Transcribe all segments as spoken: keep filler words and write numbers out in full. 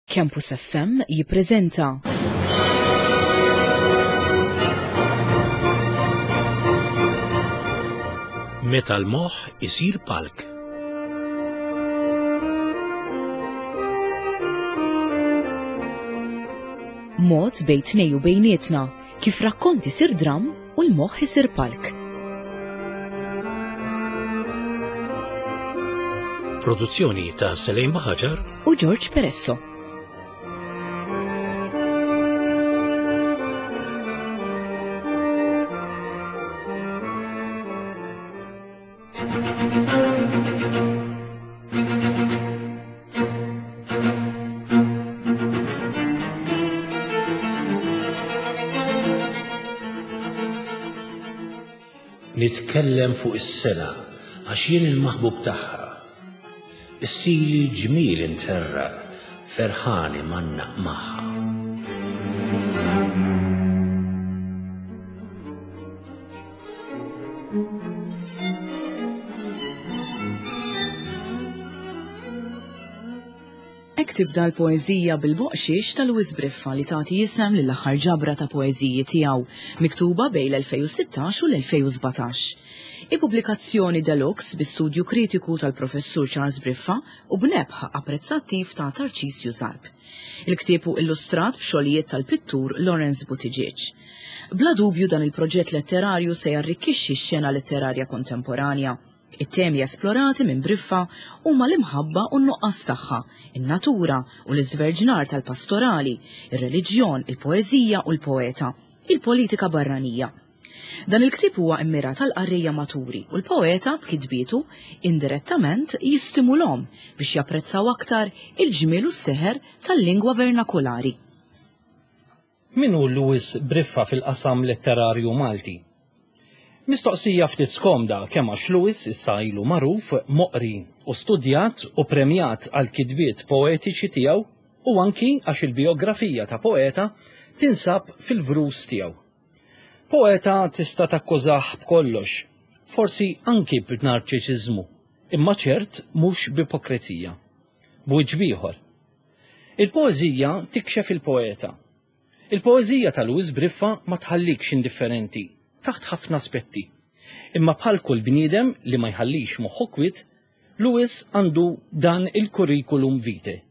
Campus F M jippreżenta Meta l-moħħ isir palk. Mod bejn tnejn u bejnietna kif rakkont isir dram u l-moħħ isir palk. Produzzjoni ta' Selejn Baħaġar u George Peresso. Nitkellem fuq is-sena għax jien il-maħbub tagħha. Issili ġmiel interra ferħani manna magħha. Hekk tibda l-poeżija bil-boqxiex ta' Louis Briffa li tagħti isem lill-aħħar ġabra ta' poeżiji tiegħu, miktuba bejn l-elfejn u sittax u l-elfejn u sbatax. Ippubblikazzjoni deluxe bi studju kritiku tal-professur Charles Briffa u b'nebħ apprezzattiv ta' Tarcisju Zarb. Il-ktieb hu illustrat b'xogħlijiet tal-pittur Lawrence Buttigieg. Bla dubju, dan il-proġett letterarju se jarrikkixxi x-xena letterarja kontemporanja. It-temi esplorati minn Briffa huma l-imħabba u n-nuqqas tagħha, in-natura u l-iżverġnar tal-pastorali, ir-reliġjon, il-poeżija u l-poeta, il-politika barranija. Dan il-ktieb huwa immirat għal qarrejja maturi u l-poeta b'kitbietu indirettament jistimulhom biex japprezzaw aktar il-ġmiel u s-seħer tal-lingwa vernakulari. Min hu Louis Briffa fil-qasam letterarju Malti? Mistoqsija ftit skomda, kemm għax Louis issa ilu magħruf, moqri u studjat u premjat għal kitbiet poetiċi tiegħu, u anki għax il-biografija ta' poeta tinsab fil-vrus tiegħu. Poeta tista' takkużah b'kollox, forsi anki b'narċiċiżmu, imma ċert mhux b'ipokrezija. B'wiċċ ieħor. Il-poeżija tikxef il-poeta. Il-poeżija ta' Louis Briffa ma tħallikx indifferenti taħt ħafna aspetti. Imma bħal kull bniedem li ma jħallix moħħu kwiet, Louis għandu dan il-curriculum vitae.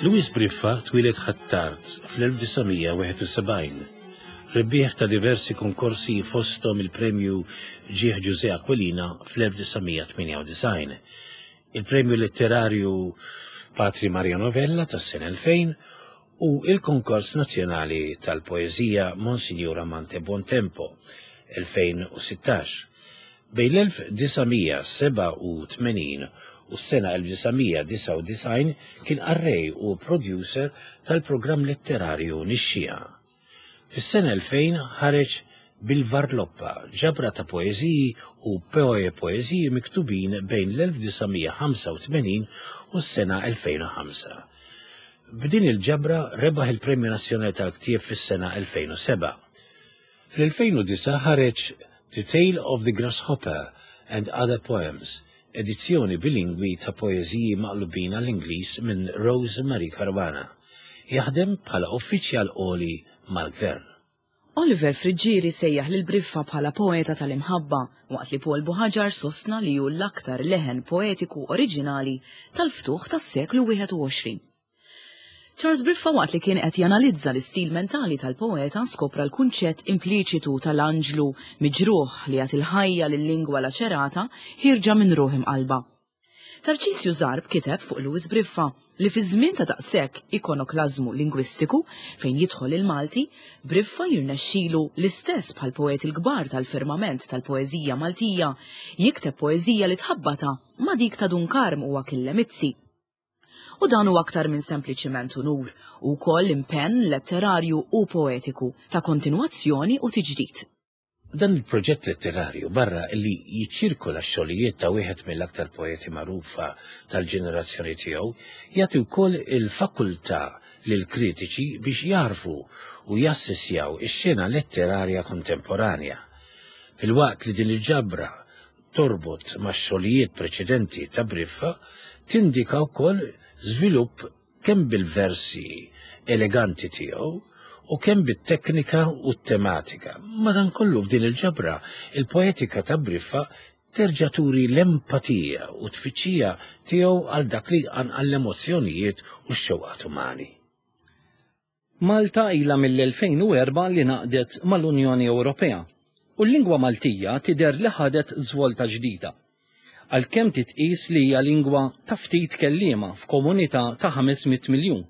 Louis Briffa twieled Ħ'Attard fl-elf disa' mija wieħed u sebgħin. Rebbieħ ta' diversi konkorsi, fostom il-premju Ġieħ Ġużè Aquilina fl-elf disa' mija tmienja u disgħin, il-premju letterarju Patri Maria Novella tas-sena elfejn u il-konkors nazzjonali tal-poeżija Monsignor Amante Buontempo elfejn u sittax. Bejn l-elf disa' mija sebgħa u tmenin u s-sena elf disa' mija disgħa u disgħin kien qarrej u producer tal-programm letterarju Nixxija. Fis-sena elfejn ħareġ bil-Varloppa, ġabra ta' poeżiji u poe poeżiji miktubin bejn l-elf disa' mija ħamsa u tmenin u s-sena elfejn u ħamsa. B'din il-ġabra rebaħ il-Premju Nazzjonali tal-Ktieb fis-sena elfejn u sebgħa. Fl-elfejn u disgħa ħareġ The Tale of the Grasshopper and Other Poems, edizzjoni bilingwi ta' poeżiji maqlubin għall-Ingliż minn Rose Marie Caruana. Jaħdem bħala uffiċjal għoli mal-gvern. Oliver Friggieri sejjaħ lil Briffa bħala poeta tal-imħabba, waqt li Paul Buħaġar sostna li hu l-aktar leħen poetiku oriġinali tal-ftuħ tas-seklu wieħed u għoxrin. Charles Briffa, waqt li kien qed janalizza l-istil mentali tal-poeta, skopra l-kunċett impliċitu tal-anġlu miġruħ li jagħti l-ħajja lil-lingwa laċerata ħierġa minn ruħ imqalba. Tarcisju Zarb kiteb fuq Louis Briffa li fi żmien ta' daqshekk ikonoklażmu lingwistiku fejn jidħol il-Malti, Briffa jirnexxilu, l-istess bħal poeti l-kbar tal-firmament tal-poeżija Maltija, jikteb poeżija li tħabbata ma' dik ta' Dun Karm u Achille Mizzi. U dan hu aktar minn sempliċiment unur, u wkoll impenn letterarju u poetiku ta' kontinwazzjoni u tiġdid. Dan il-proġett letterarju barra li jiċċirkola x-xogħlijiet ta' wieħed mill-aktar poeti magħrufa tal-ġenerazzjoni tiegħu, jagħti wkoll il-fakultà lill-kritiċi biex jarfu u jassessjaw ix-xena letterarja kontemporanja. Filwaqt li din il-ġabra torbot max-xogħlijiet preċedenti ta' Briffa, tindika wkoll żvilupp kemm bil-versi eleganti tiegħu u kemm bit-teknika u t-tematika. Madankollu f'din il-ġabra, il-poetika ta' Briffa terġa' turi l-empatija u tfittxija tiegħu għal dak li jqanqal l-emozzjonijiet u x-xewqat umani. Malta ilha mill-elfejn u erbgħa li ngħaqdet mal-Unjoni Ewropea u l-lingwa Maltija tidher li ħadet żvolta ġdida. Għalkemm titqis li hija lingwa ta' ftit kelliema f'komunità ta' ħames mitt miljun.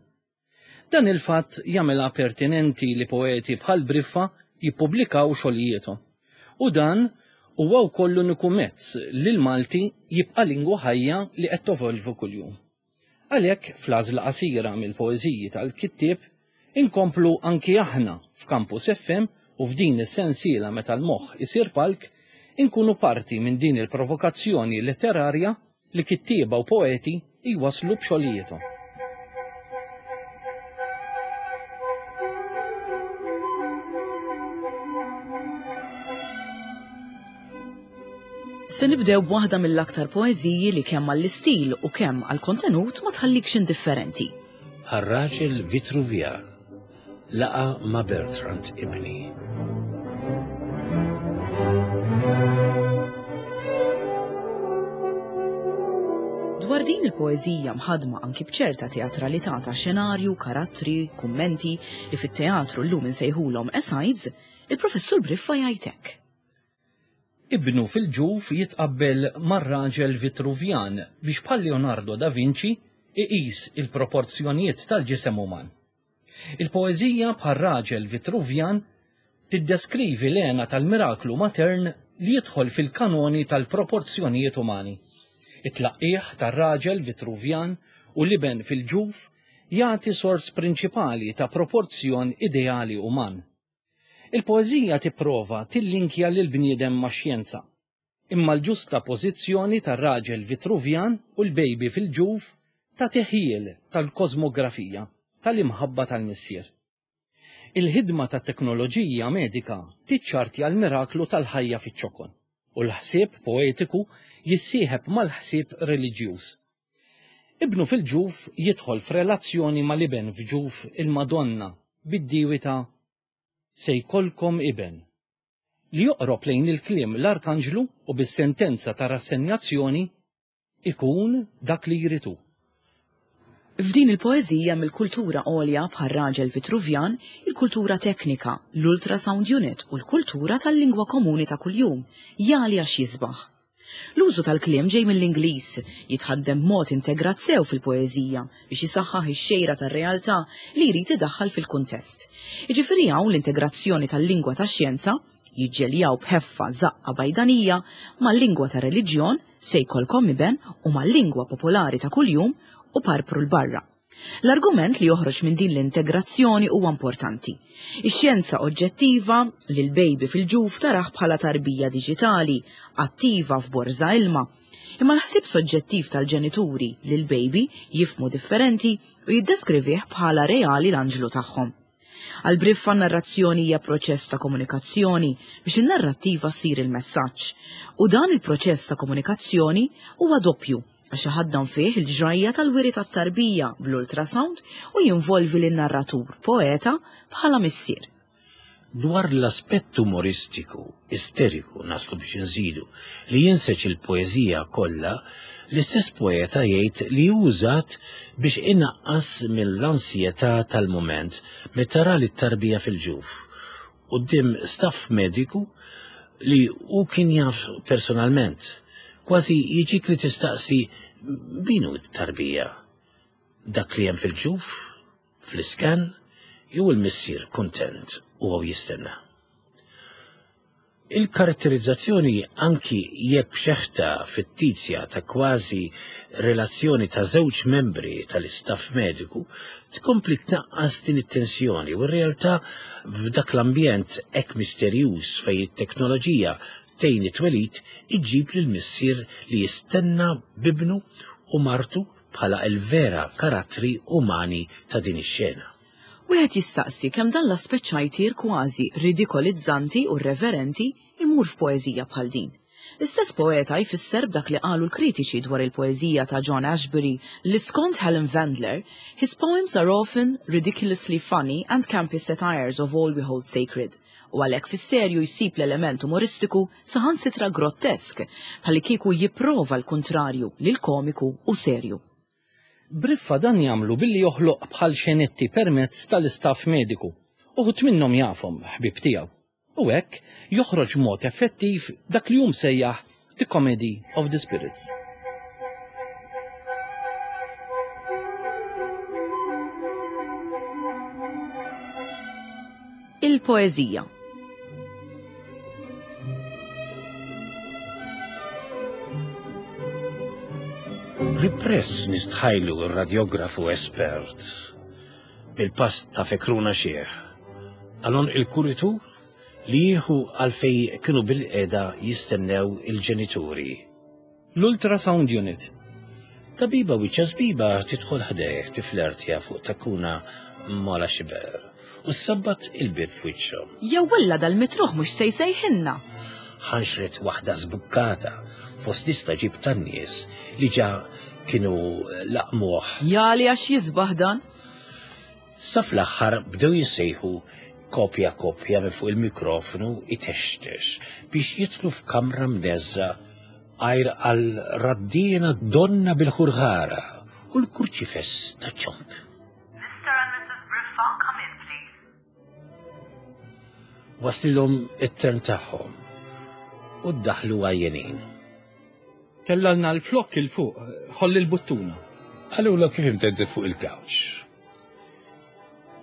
Dan il-fatt jagħmilha pertinenti li poeti bħal Briffa jippubblikaw xogħlijiethom. U dan huwa wkoll l-uniku mezz li l-Malti jibqa' lingwa ħajja li qed tovolvu kuljum. Għalhekk fl-għażla qasira mill-poeżiji tal-kittieb inkomplu anki aħna f'Campus F M u f'din is-sensiela meta l-moħħ isir palk inkunu parti minn din il-provokazzjoni letterarja li kittieba u poeti jwaslu b'xogħlijiethom. Se nibdew b'waħda mill-aktar poeżiji li kemm għall-istil u kemm għall-kontenut ma tħallikx indifferenti. Bħar-raġel Vitruvjan laqa ma' Bertrand ibni. Dwar din il-poeżija mħadma anki b'ċerta teatralità ta' xenarju, karattri, kummenti li fit-teatru llum insejħulhom asides, il-professur Briffa jgħid hekk. Ibnu fil-ġuf jitqabbel mar-raġel Vitruvjan biex bħal Leonardo da Vinci iqis il-proporzjonijiet tal-ġisem uman. Il-poeżija bħal raġel Vitruvjan tiddeskrivi l-għena tal-miraklu matern li jidħol fil-kanoni tal-proporzjonijiet umani. It-tlaqqieħ tar-raġel Vitruvjan u l-iben fil-ġuf jagħti sors prinċipali ta' proporzjon ideali uman. Il-poeżija tipprova tillinkja lil bniedem ma' xjenza, imma l-ġusta pożizzjoni tar-raġel Vitruvjan u l-baby fil-ġuf ta' teħjil tal-kosmografija tal-imħabba tal-missier. Il-ħidma ta' teknoloġija medika tiċċartja l-miraklu tal-ħajja fiċ-ċokon u l-ħsieb poetiku jissieħeb mal-ħsieb reliġjuż. Ibnu fil-ġuf jidħol f'relazzjoni mal-iben f'ġuf il-Madonna bid-diwi ta' se jkollkom iben, li joqrob lejn il-kliem l-Arkanġlu u bis-sentenza ta' rassenjazzjoni ikun dak li jritu. F'din il-poeżija mill-kultura għolja bħal raġel Vitruvjan, il-kultura teknika, l-ultrasound unit u l-kultura tal-lingwa komuni ta' kuljum, jali għax jisbaħ. L-użu tal-kliem ġej mill-Ingliż, jitħaddem mod integrat sew fil-poeżija biex jisaħħaħ ix-xejra tar-realtà li jrid idaħħal fil-kuntest. Jiġifieri hawn l-integrazzjoni tal-lingwa tax-xjenza jiġġeljaw b'ħeffa żaqqa bajdanija mal-lingwa tar-reliġjon se jkollkom iben u mal-lingwa popolari ta' kuljum u parpru l-barra. L-argument li joħroġ minn din l-integrazzjoni huwa importanti. Ix-xjenza oġġettiva li l-baby fil-ġuf taraħ bħala tarbija diġitali, attiva f'borża ilma. Imma l-ħsieb soġġettiv tal-ġenituri li l-baby jifmu differenti u jiddeskrivih bħala reali l-anġlu tagħhom. Għal Briffa narrazzjoni hija proċess ta' komunikazzjoni biex in-narrattiva ssir il-messaġġ. U dan il-proċess ta' komunikazzjoni huwa doppju għax iħaddan fih il-ġrajja tal-wiri tat-tarbija bl-ultrasound u jinvolvi lin-narratur poeta bħala missier. Dwar l-aspett umoristiku, isteriku, naslu biex nżidu, li jinseġ il-poeżija kollha, l-istess poeta jgħid li użat biex inaqqas mill-ansjetà tal-mument meta ra lit-tarbija fil-ġuf quddiem staff mediku li hu kien jaf personalment. Kważi jiġik li tistaqsi min hu t-tarbija? Dak li hemm fil-ġuf, fl-iskan, jew il-missier kuntent u għaw jistenna. Il-karatterizzazzjoni anki jekk b'xeħta fittizja ta' kważi relazzjoni ta' żewġ membri tal-istaff mediku tkompli tnaqqas din it-tensjoni u r-realtà f'dak l-ambjent hekk misterjuż fejn it-teknoloġija tgħin it-twelid iġġib lil missier li jistenna b'ibnu u martu bħala l-vera karattri umani ta' din ix-xena. Wieħed jistaqsi kemm dan l-aspett ċajtier kważi ridikolizzanti u irreverenti imur f'poeżija bħal din. L-istess poeta jfisser b'dak li qalu l-kritiċi dwar il-poeżija ta' John Ashbery li skont Helen Vendler, his poems are often ridiculously funny and campy satires of all we hold sacred. U għalhekk fis-serju jsib l-element umoristiku saħansitra grottesk, bħalli kieku jipprova l-kuntrarju lil komiku u serju. Briffa dan jagħmlu billi joħloq bħal xenetti permezz tal-istaff mediku. Uħud minnhom jafhom ħbieb tiegħu. U hekk joħroġ mod effettiv dak li hu msejjaħ The Comedy of the Spirits. Il-poeżija. Ripress nistħajlu r-radiografu espert bil-pass ta' fekruna xieħ. Għalon il-kuritur li jieħu għalfej kienu bil-qeda jistennew il-ġenituri. L-ultrasound unit. Tabiba wiċċa żbiba tidħol ħdejh tiflertja fuq takuna mola xiber u sabbat il-bib f'wiċċhom. Jew wella dal-mitruħ mhux se jsejħilna. Ħanxret waħda żbukkata fost lista ġib tan-nies li ġa kienu laqmuh. Jali għax jisbaħ dan. Sa fl-aħħar bdew jissejħu kopja kopja minn fuq il-mikrofonu itextex biex jitlu f'kamra mneżża għajr għal raddina donna bil-ħurħara u l-kurċifess ta' ċomp. Mister and Missus Briffa, come in, please. Waslilhom it-tern tagħhom u ddaħlu għajjenin. Tellalna l-flokk il-fuq, ħolli l-buttuna. Għalula kif imteddet fuq il-couch.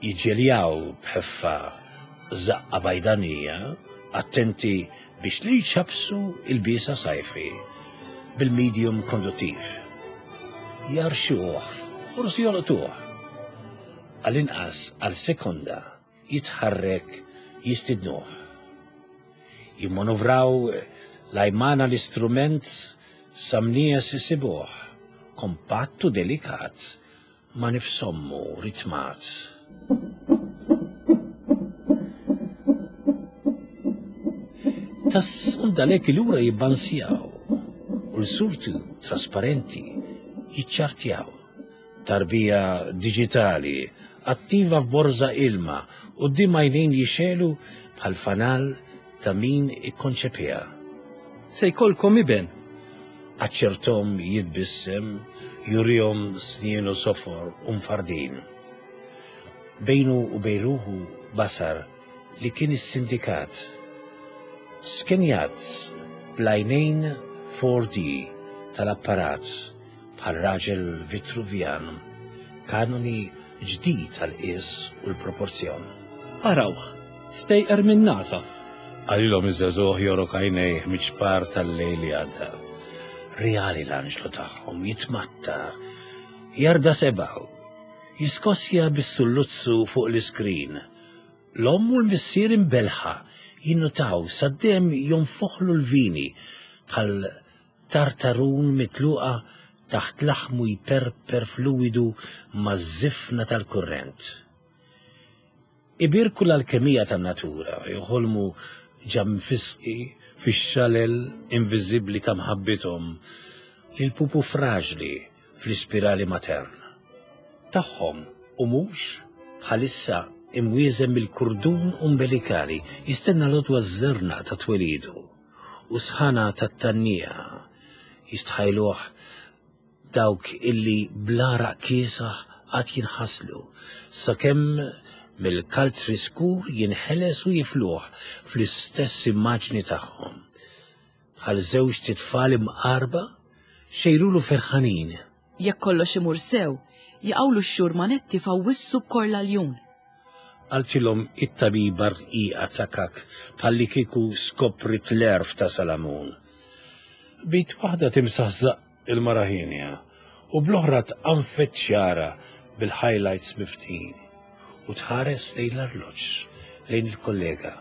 Jiġġeljaw b'ħeffa zaqqa bajdanija, attenti biex li jċabsu il-bisa sajfi bil-medium konduttiv. Jarxuh, forsi jolqtuh. Għal-inqas għal sekonda jitħarrek jistidnuh. Jimmanovraw lajmana l-istrument samnies isibuh, kompattu delikat, ma nifsommu ritmat. Tas-sonda lek lura jibbansjaw u l-surtu trasparenti jiċċartjaw. Tarbija digitali, attiva f'borza ilma u d-dimajnejn jixelu bħal fanal ta' min ikkonċepija. Se jkollkom iben. Aċċertom jitbissem, jurihom snien u sofor u mfardin. Bejnu u bejruħu basar li kien is-sindikat. Skenjat bl-għajnejn four D tal-apparat bħal raġel Vitruvjan, kanoni ġdid tal-qis u l-proporzjon. Arawh, stejqer minn NASA. Qalilhom iż-żagħżugħ jorok għajnejh miċ-ċpar tal-lejl li għadda. Reali l-anġlu tagħhom jitmatta, jarda sebgħu, jiskossja bis-sulluzzu fuq l-iskrin. L-omm u l-missier imbelħa jinnutaw saddem jonfoħlu l-vini bħal tartarun mitluqa taħt laħmu jperper fluidu maż-żifna tal-kurrent. Ibirku l-alkemija tan-natura, joħolmu ġamfisqi fix-xalel inviżibbli ta' mħabbithom, il-pupu fraġli fl-ispirali matern. Tagħhom u mhux bħalissa imwieżem mill-kurdun umbilikali jistenna l-odwa ż-żerna ta' twelidu u sħana tat-tannija jistħajluh dawk illi bl-għaraq kiesaħ qatt jinħaslu sakemm mill-kalzri skur jinħeles u jifluh fl-istess immaġni tagħhom. Bħal żewġ titfal imqarba xejrulu ferħanin. Jekk kollox imur sew, jaqawlu x-xhur manetti fawwissu b'korla ljun. Qaltilhom it-tabiba rqiqa tsakak bħalli kieku skoprit l-għerf ta' Salamun. B'id waħda timsaħ żaqq il-mara hienja u bl-oħra tqanfet xagħarha bil-highlights miftin u tħares lejn l-arloġġ, lejn il-kollega,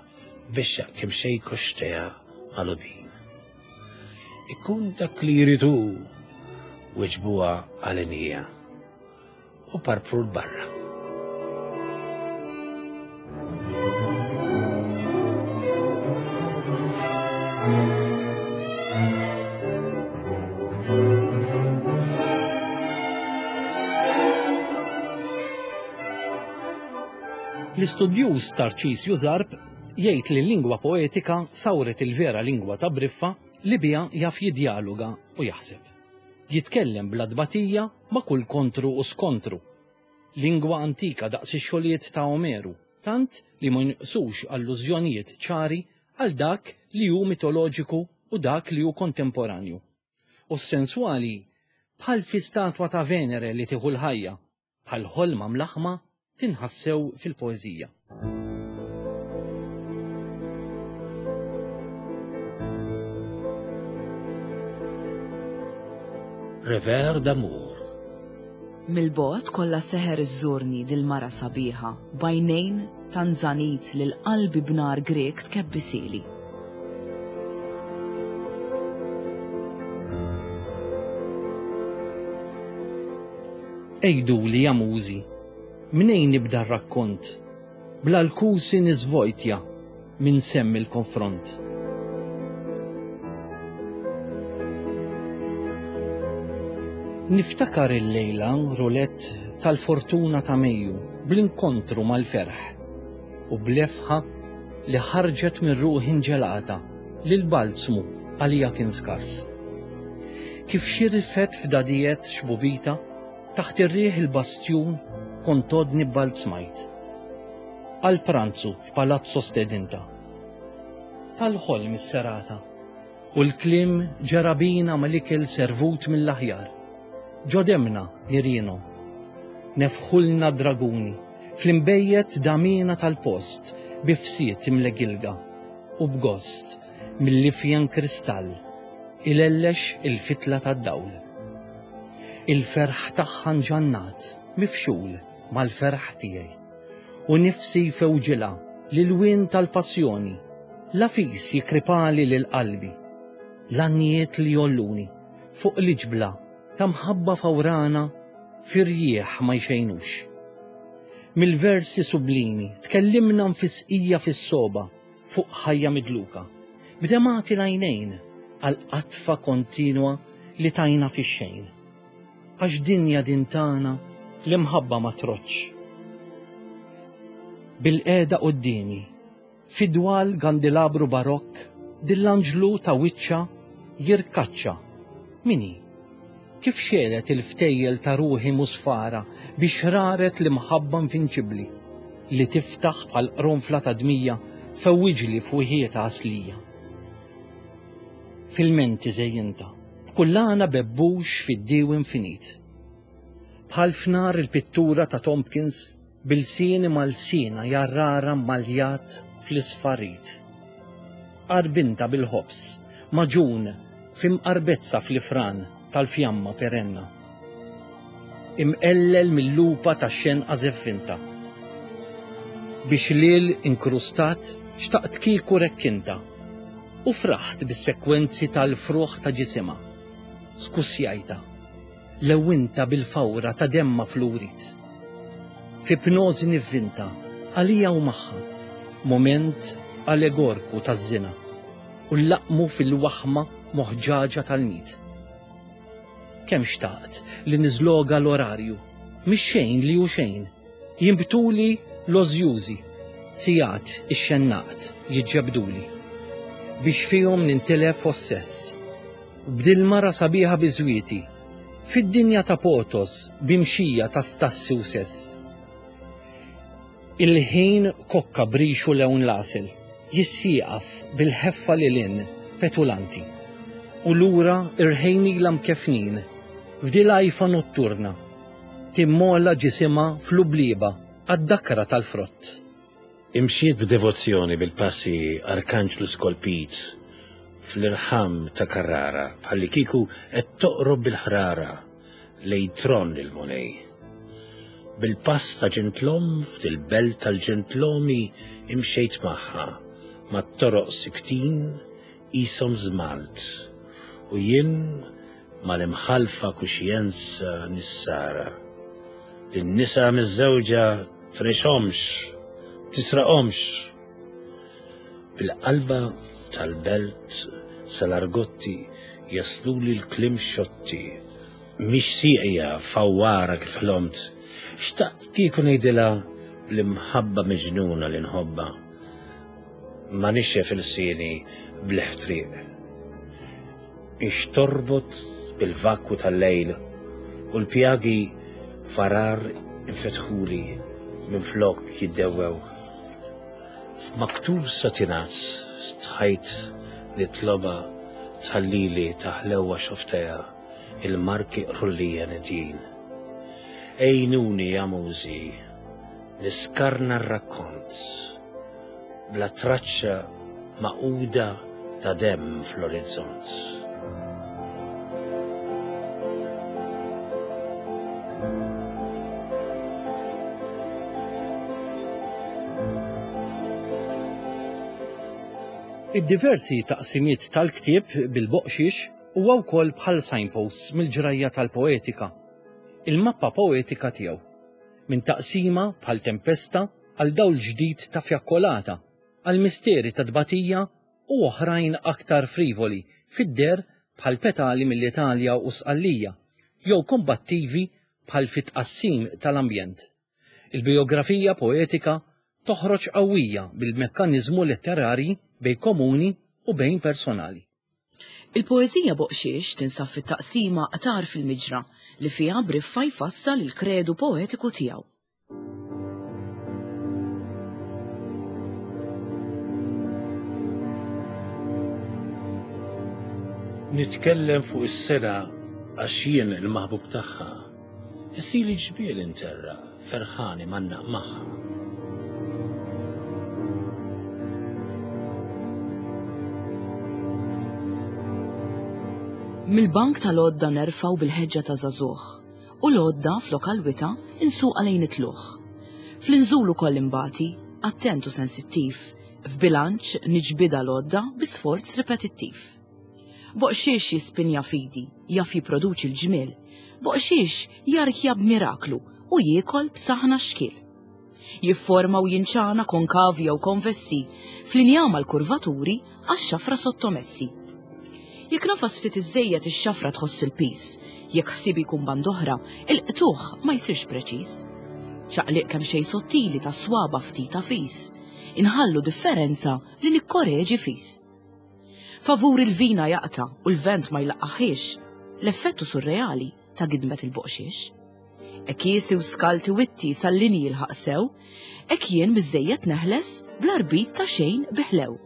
bexxaq kemm xejn koxxtejha magħlubin. Ikun dak li jrid hu, weġbuha għalenija u parpru 'l barra. L-istudjuż Tarċisju Zarb jgħid li l-lingwa poetika sawret il-vera lingwa ta' Briffa li biha jaf jidjaloga u jaħseb. Jitkellem bla tbatija ma' kull kontru u skontru. Lingwa antika daqs ix-xogħlijiet ta' Omeru, tant li ma jinqsux allużjonijiet ċari għal dak li hu mitoloġiku u dak li hu kontemporanju. U s-senswali bħal fi statwa ta' Venere li tieħu l-ħajja, bħal ħolma mlaħma tinħassew fil-poeżija. Revers d'amour. Mill-bogħod kollha seħer iżżurni dil-mara sabiħa, b'għajnejn tanzanit lil qalbi b'nar Grek tkebbisili. Għiduli ja mużi, mnejn nibda r-rakkont, bla l-kusi niżvojtja minn semm il-konfront. Niftakar il-lejla rulett tal-fortuna ta' Mejju bl-inkontru mal-ferħ u bl-lefħa li ħarġet minn ruħi nġelata li l-balzmu għalija kien skars. Kif xirfet f'dadijiet xbubita taħt ir-riħ il-bastjun kont għodni bbalzmajt. Għal pranzu f'palazzo stedinta. Tal-ħolm is-serata u l-kliem ġera bina mal-ikel servut mill-aħjar. Ġo demna nirienhom. Nefħulna draguni fl-imbejjed damina tal-post bi fsiet imlegilga u b'gost mill-ifjen kristall ilellex il-fitla tad-dawl. Il-ferħ tagħha nġannat mifxul mal-ferħ tiegħi u nifsi jfewġilha l-ilwien tal-passjoni la fis jikripali lil qalbi l-għannijiet li jolluni fuq l-iġbla ta' mħabba fawrana firjieħ ma jxejnux. Mill-versi sublimi tkellimna nfisqija fis-soba fuq ħajja midluka, b'demati l-għajnejn għal qatfa kontinwa li tajna fix-xejn. Għax dinja din tagħna l-imħabba ma troċċ. Bil-qeda quddiemi, fidwal gandilabru barokk, dil-anġlu ta' wiċċa jirkaċċa. Min hi? Kif xelet il-ftejjel ta' ruħi musfara biex raret l-imħabba invinċibbli li tiftaħ bħal qronfla ta' dmija tfewwiġli f'wieħietha għaslija. Fil-menti żejjinta, b'kullana bebbux fid-diew infinit. Bħal f'nar il-pittura ta' Tompkins bil-sieni mal-sina jarrara maljat fl-isfarit. Qarbinta bil-ħobż, maġun f'imqarbezza fl-ifran tal-fjamma perenna. Imqellel mill-lupa ta' xenqa zeffinta. Biex lil inkrustat xtaqt kieku rekkinta u fraħt bis-sekwenzi tal-fruħ ta' ġisimha. Skusjajta, lewinta bil-fawra ta' demma flurit. F'ipnożi nivvinta, għalija u magħha, moment allegorku taż-żina u l-laqmu fil-waħma moħġaġa tal-mit. Kemm xtaqt li niżloga l-orarju, mhix xejn li hu xejn, jinbtuli l-ożjużi, sigħat ix-xennaqt jiġġebduli, biex fihom nintilef ossess. B'dil mara sabiħa biżwieti, fid-dinja ta' potos b'imxija ta' stassi u sess. Il-ħin kokka brixu lewn l-għasel, jissieqaf bil-ħeffa lil hinn petulanti. U lura irħejnilha mkefnin, f'dilajfa notturna, timmola ġisimha fl-ubliba għad-dakra tal-frott. Imxiet b'devozzjoni bil-passi arkanġlu skolpit fl-irħam ta' Carrara bħalli kieku qed toqrob bil-ħrara lejn tron il-Mulej. Bil-pass ta' ġentlom f'dil-belt tal-ġentlomi imxejt magħha mat-toroq siktin qishom żmalt u jien mal-imħalfa kuxjenza nissara. Lin-nisa miż-żewġa trexhomx, tisraqhomx. Bil-qalba tal-belt sal-argotti jasluli l-kliem xotti. Mhix sieqja fawwara kif ħlomt. Xtaqt kieku ngħidilha bl-imħabba miġnuna li nħobba. Ma nixxef il-sieni bl-ħtriq. Ix torbot bil-vakwu tal-lejl u l-pjagi farar infetħuli minn flok jiddewwew. F'maktub satinazz stħajt nitloba tħallili taħlewa xofteja il-marki qrullija nedjin. Ejnuni ja mużi, niskarna r-rakkont bla traċċa maquda ta' demm fl-orizzont. Id-diversi taqsimiet tal-ktieb bil-boqxiex huwa wkoll bħal signposts mill-ġrajja tal-poetika, il-mappa poetika tiegħu, minn taqsima bħal tempesta għal dawl ġdid ta' fjakkolata, għal misteri ta' tbatija u oħrajn aktar frivoli fid-der bħal petali mill-Italja u Sqallija, jew kombattivi bħal fit-tqassim tal-ambjent. Il-biografija poetika toħroġ qawwija bil-mekkaniżmu letterari bejn komuni u bejn personali. Il-poeżija Boqxiex tinsab fit-taqsima Qtar fil-Miġra li fiha Briffa jfassal il-kredu poetiku tiegħu. Nitkellem fuq is-sena għax jien il-maħbub tagħha. Issili ġbiel interra ferħani mannaq magħha. Mill-bank tal-għodda nerfaw bil-ħeġġa ta' żagħżugħ u l-għodda flok għal-wita insuqa lejn it-tluħ. Fl-inżul ukoll imbati, attent u sensittiv, f'bilanċ niġbida l-għodda bi sforz ripetittiv. Boqxiex jispinja fidi, jaf jipproduċi l-ġmiel, boqxiex jarkja b'miraklu u jiekol b'saħna xkil. Jifforma u jinċana konkavi jew konvessi, fl-injama l-kurvaturi għax-xafra sottomessi. Jekk nafas ftit iżejjed ix-xafra tħoss il-pis, jekk ħsibi jkun band oħra, il-qtuħ ma jsirx preċiż. Ċaqliq kemm xejn sottili ta' swaba ftit ta' fis, inħallu differenza li nikkoreġi fis. Favur il-vina jaqta' u l-vent ma jlaqqaħiex, l-effettu surreali ta' gidmet il-boqxiex. Ekkiesi u skalti witti sal-linji jilħaq sew, hekk jien miżejjed neħles bl-arbit ta' xejn biħlew.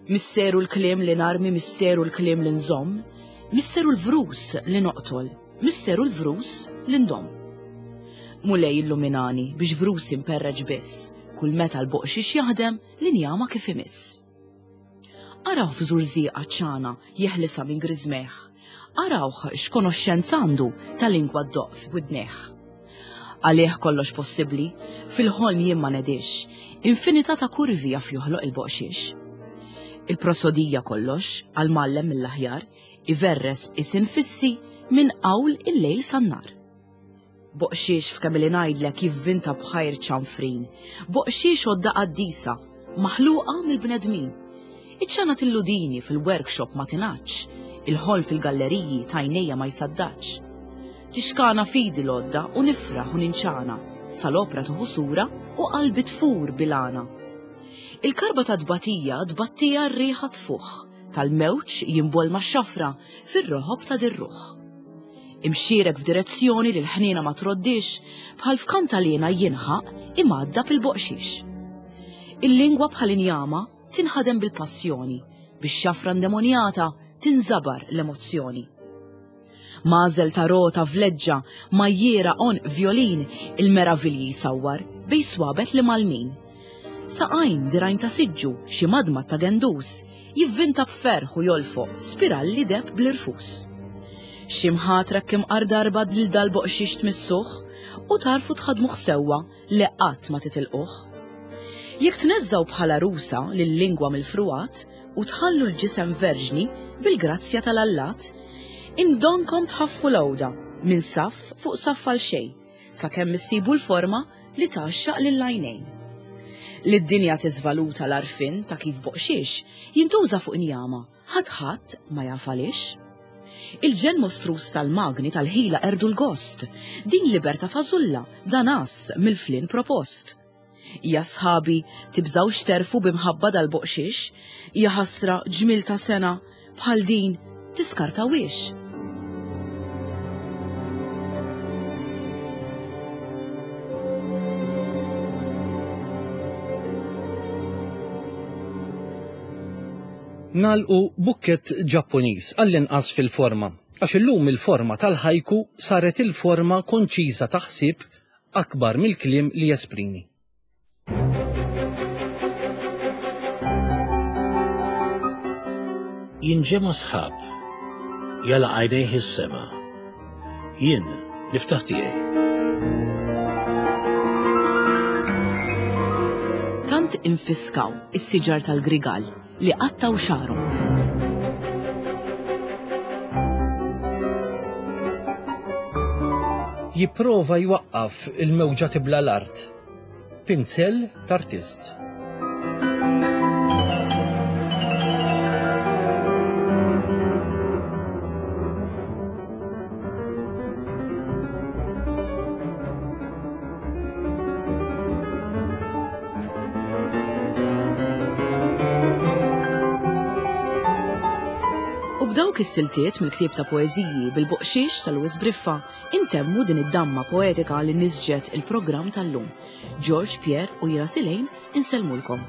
Misteru l-kliem li narmi, misteru l-kliem li nżomm, misteru l-vrus li noqtol, misteru l-vrus li ndom. Mulej illuminani biex vrus imperreġ biss, kull meta l-boqxiex jaħdem l-injama kif imiss. Arawh f'żurżieqa ċana jeħlisa minn griżmejh, arawh x'konoxxenza għandu ta' lingwa ddoq f'widnejh. Għalih kollox possibbli, fil-ħolm jien ma nedix, infinità ta' kurvi jaf joħloq il-boqxiex. Il-prosodija kollox, għal-mallem mill-aħjar, iverres isin fissi minn qawl il-lejl san-nar. Boqxiex f'kemm li ngħidlek jivvinta bħajr ċanfrin, boqxiex għodda qaddisa, maħluqa mill-bnedmin. Iċ-ċana tilludini fil-workshop ma tingħadx, il-ħol fil-galleriji tajnejja ma jsaddax. Tixkana fidi l-għodda u nifraħ u ninċana, sal-opra tuħu sura u qalbi tfur bilana. Il-karba ta' tbatija tbattija r-riħa tfuħ, tal-mewġ jimbol ma' xafra fir-roħob ta' dirruħ. Imxierek f'direzzjoni li l-ħniena ma troddix, bħal f'kantalena jinħaq imgħadda bil-boqxiex. Il-lingwa bħal injama tinħadem bil-passjoni, bix xafra ndemonjata tinżabar l-emozzjoni. Mażel ta' rota vleġġa, majjiera on violin, il-meravilji jsawwar bej swabet li malmin. Saqajn dirgħajn ta' siġġu, xi madmad ta' gendus, jivvinta b'ferħ u jolfoq spiralli deheb bl-irfus. Xi mħatra kemm darba lil dal-boqxiex tmissuh u tarfu tħadmuh sewwa li qatt ma titilquh. Jekk tneżżgħu bħala rusa lil-lingwa mill-frugħat u tħallu l-ġisem verġni bil-grazzja tal-allat, indonkom tħaffu l-għoda minn saff fuq saff għal xejn, sakemm issibu l-forma li tgħaxxaq lill-għajnejn. Li d-dinja tiżvaluta l-għarfien ta' kif boqxiex jintuża fuq injama, ħadd ħadd ma jaf għaliex. Il-ġenn mostruż tal-magni tal-ħila qerdu l-gost, din libertà fażulla, dan as mill-flin propost. Ja sħabi, tibżgħux terfu b'imħabba dal-boqxiex, ja ħasra ġmil ta' sena bħal din tiskartawiex. Nagħlqu b'bukkett Ġappuniż għall-inqas fil-forma, għax illum il-forma tal-ħajku saret il-forma konċiża ta' ħsieb akbar mill-kliem li jesprimi. Jinġema sħab, jala għajnejh is-sema. Jien niftaħ tiegħi. Tant infiskaw is-siġar tal-grigal li qattaw xagħarhom. Jipprova jwaqqaf il-mewġa tibla l-art. Pinzell t'artist. U b'dawk is-siltiet mill-ktieb ta' poeżiji bil-boqxiex ta' Louis Briffa intemmu din id-damma poetika li nisġet il-programm tal-lum. George, Pierre u jiena Silejn insellmulkom.